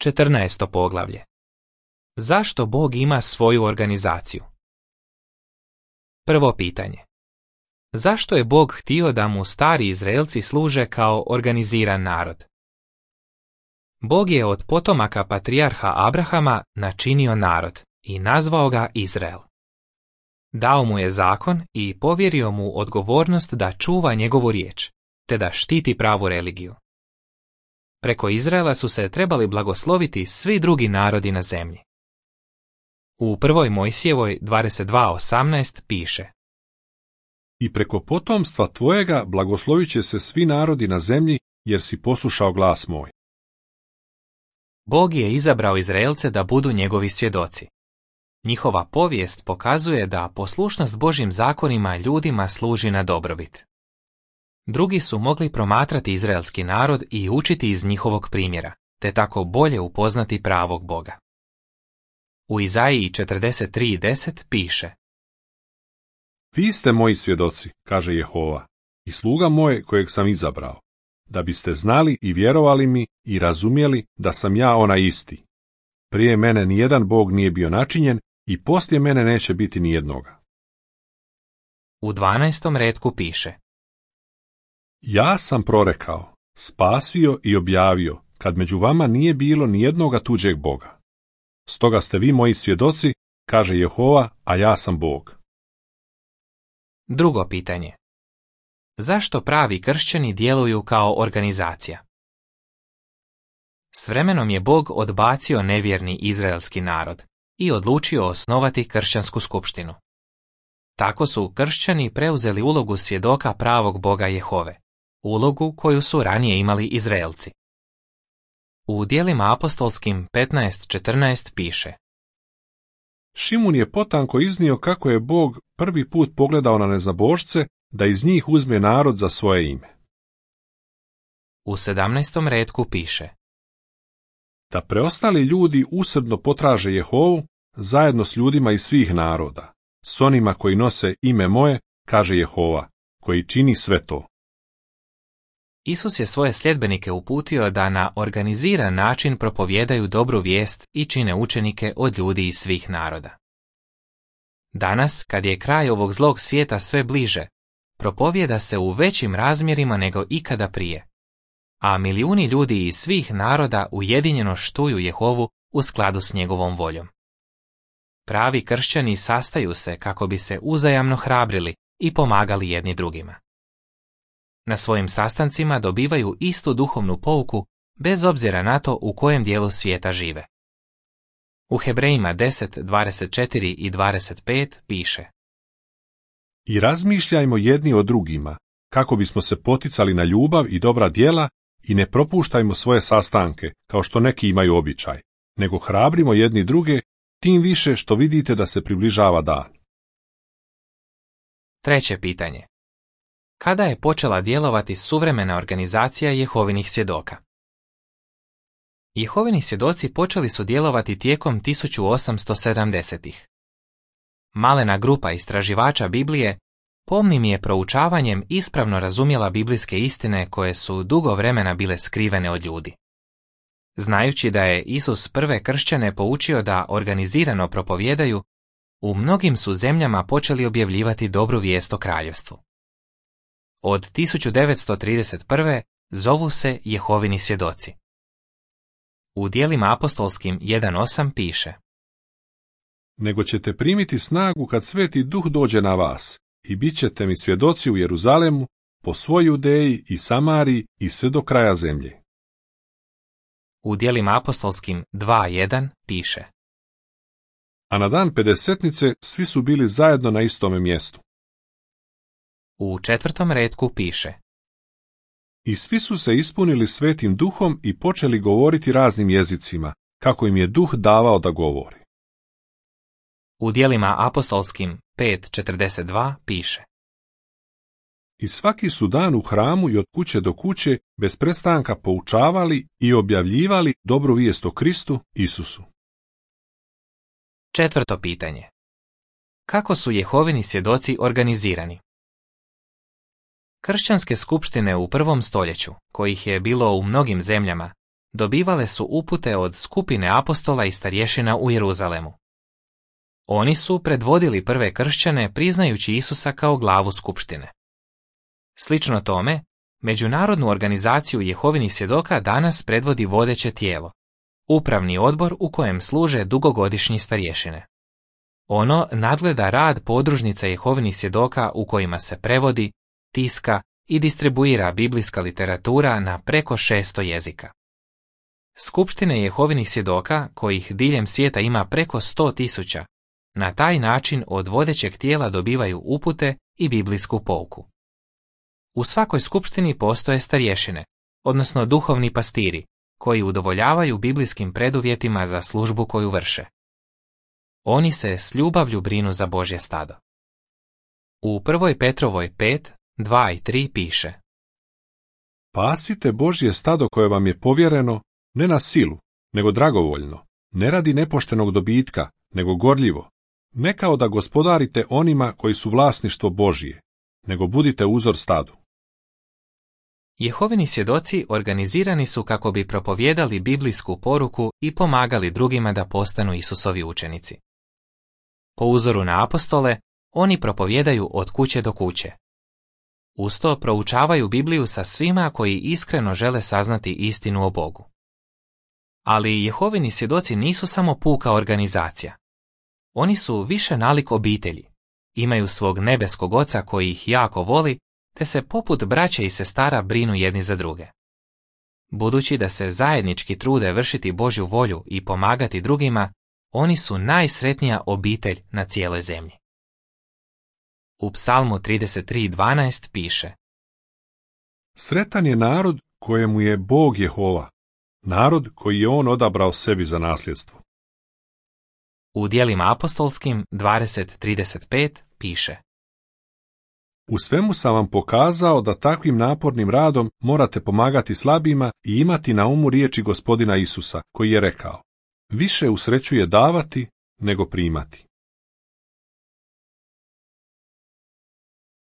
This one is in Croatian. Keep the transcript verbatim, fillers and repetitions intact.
četrnaesto poglavlje. Zašto Bog ima svoju organizaciju? Prvo pitanje. Zašto je Bog htio da mu stari Izraelci služe kao organiziran narod? Bog je od potomaka patrijarha Abrahama načinio narod i nazvao ga Izrael. Dao mu je zakon i povjerio mu odgovornost da čuva njegovu riječ, te da štiti pravu religiju. Preko Izraela su se trebali blagosloviti svi drugi narodi na zemlji. U prvoj Mojsijevoj dvadeset dva osamnaest piše: I preko potomstva tvojega blagoslovit će se svi narodi na zemlji, jer si poslušao glas moj. Bog je izabrao Izraelce da budu njegovi svjedoci. Njihova povijest pokazuje da poslušnost Božjim zakonima ljudima služi na dobrobit. Drugi su mogli promatrati izraelski narod i učiti iz njihovog primjera, te tako bolje upoznati pravog Boga. U Izaiji četrdeset tri deset piše: Vi ste moji svjedoci, kaže Jehova, i sluga moj kojeg sam izabrao, da biste znali i vjerovali mi i razumjeli da sam ja onaj isti. Prije mene nijedan Bog nije bio načinjen i poslije mene neće biti nijednoga. U dvanaestom retku piše: Ja sam prorekao, spasio i objavio, kad među vama nije bilo nijednoga tuđeg Boga. Stoga ste vi moji svjedoci, kaže Jehova, a ja sam Bog. Drugo pitanje. Zašto pravi kršćani djeluju kao organizacija? S vremenom je Bog odbacio nevjerni izraelski narod i odlučio osnovati kršćansku skupštinu. Tako su kršćani preuzeli ulogu svjedoka pravog Boga Jehove, ulogu koju su ranije imali Izraelci. U djelima apostolskim petnaest četrnaest piše: Šimun je potanko iznio kako je Bog prvi put pogledao na nezabožce da iz njih uzme narod za svoje ime. U sedamnaestom retku piše: Da preostali ljudi usrdno potraže Jehovu zajedno s ljudima iz svih naroda, s onima koji nose ime moje, kaže Jehova, koji čini sve to. Isus je svoje sljedbenike uputio da na organiziran način propovijedaju dobru vijest i čine učenike od ljudi iz svih naroda. Danas, kad je kraj ovog zlog svijeta sve bliže, propovijeda se u većim razmjerima nego ikada prije, a milijuni ljudi iz svih naroda ujedinjeno štuju Jehovu u skladu s njegovom voljom. Pravi kršćani sastaju se kako bi se uzajamno hrabrili i pomagali jedni drugima. Na svojim sastancima dobivaju istu duhovnu pouku bez obzira na to u kojem dijelu svijeta žive. U Hebrejima deset dvadeset četiri i dvadeset pet piše: I razmišljajmo jedni o drugima, kako bismo se poticali na ljubav i dobra djela i ne propuštajmo svoje sastanke, kao što neki imaju običaj, nego hrabrimo jedni druge, tim više što vidite da se približava dan. Treće pitanje. Kada je počela djelovati suvremena organizacija Jehovinih svjedoka? Jehovini svjedoci počeli su djelovati tijekom tisuću osamsto sedamdesetih. Malena grupa istraživača Biblije pomnim je proučavanjem ispravno razumjela biblijske istine koje su dugo vremena bile skrivene od ljudi. Znajući da je Isus prve kršćane poučio da organizirano propovijedaju, u mnogim su zemljama počeli objavljivati dobru vijest o kraljevstvu. Od tisuću devetsto trideset prve zovu se Jehovini svjedoci. U djelima apostolskim jedan osam piše: Nego ćete primiti snagu kad Sveti Duh dođe na vas i bit ćete mi svjedoci u Jeruzalemu, po svoj Judeji i Samariji i sve do kraja zemlje. U djelima apostolskim dva jedan piše: A na dan pedesetnice svi su bili zajedno na istome mjestu. U četvrtom retku piše: I svi su se ispunili Svetim Duhom i počeli govoriti raznim jezicima, kako im je Duh davao da govori. U djelima apostolskim pet četrdeset dva piše: I svaki su dan u hramu i od kuće do kuće bez prestanka poučavali i objavljivali dobru vijest o Kristu Isusu. Četvrto pitanje. Kako su Jehovini svjedoci organizirani? Kršćanske skupštine u prvom stoljeću, kojih je bilo u mnogim zemljama, dobivale su upute od skupine apostola i starješina u Jeruzalemu. Oni su predvodili prve kršćane priznajući Isusa kao glavu skupštine. Slično tome, Međunarodnu organizaciju Jehovinih svjedoka danas predvodi vodeće tijelo, upravni odbor u kojem služe dugogodišnji starješine. Ono nadgleda rad podružnica Jehovinih svjedoka u kojima se prevodi, tiska i distribuira biblijska literatura na preko šesto jezika. Skupštine Jehovinih svjedoka, kojih diljem svijeta ima preko sto tisuća, na taj način od vodećeg tijela dobivaju upute i biblijsku pouku. U svakoj skupštini postoje starješine, odnosno duhovni pastiri, koji udovoljavaju biblijskim preduvjetima za službu koju vrše. Oni se s ljubavlju brinu za Božje stado. U prvoj Petrovoj pet, dva i tri piše: Pasite Božje stado koje vam je povjereno, ne na silu, nego dragovoljno, ne radi nepoštenog dobitka, nego gorljivo, ne kao da gospodarite onima koji su vlasništvo Božje, nego budite uzor stadu. Jehovini svjedoci organizirani su kako bi propovijedali biblijsku poruku i pomagali drugima da postanu Isusovi učenici. Po uzoru na apostole, oni propovijedaju od kuće do kuće. Uz to proučavaju Bibliju sa svima koji iskreno žele saznati istinu o Bogu. Ali Jehovini svjedoci nisu samo puka organizacija. Oni su više nalik obitelji, imaju svog nebeskog oca koji ih jako voli, te se poput braće i sestara brinu jedni za druge. Budući da se zajednički trude vršiti Božju volju i pomagati drugima, oni su najsretnija obitelj na cijeloj zemlji. U Psalmu trideset tri dvanaest piše: Sretan je narod kojemu je Bog Jehova, narod koji je on odabrao sebi za nasljedstvo. U Djelima apostolskim dvadeset trideset pet piše: U svemu sam vam pokazao da takvim napornim radom morate pomagati slabima i imati na umu riječi Gospodina Isusa, koji je rekao: Više usrećuje davati nego primati.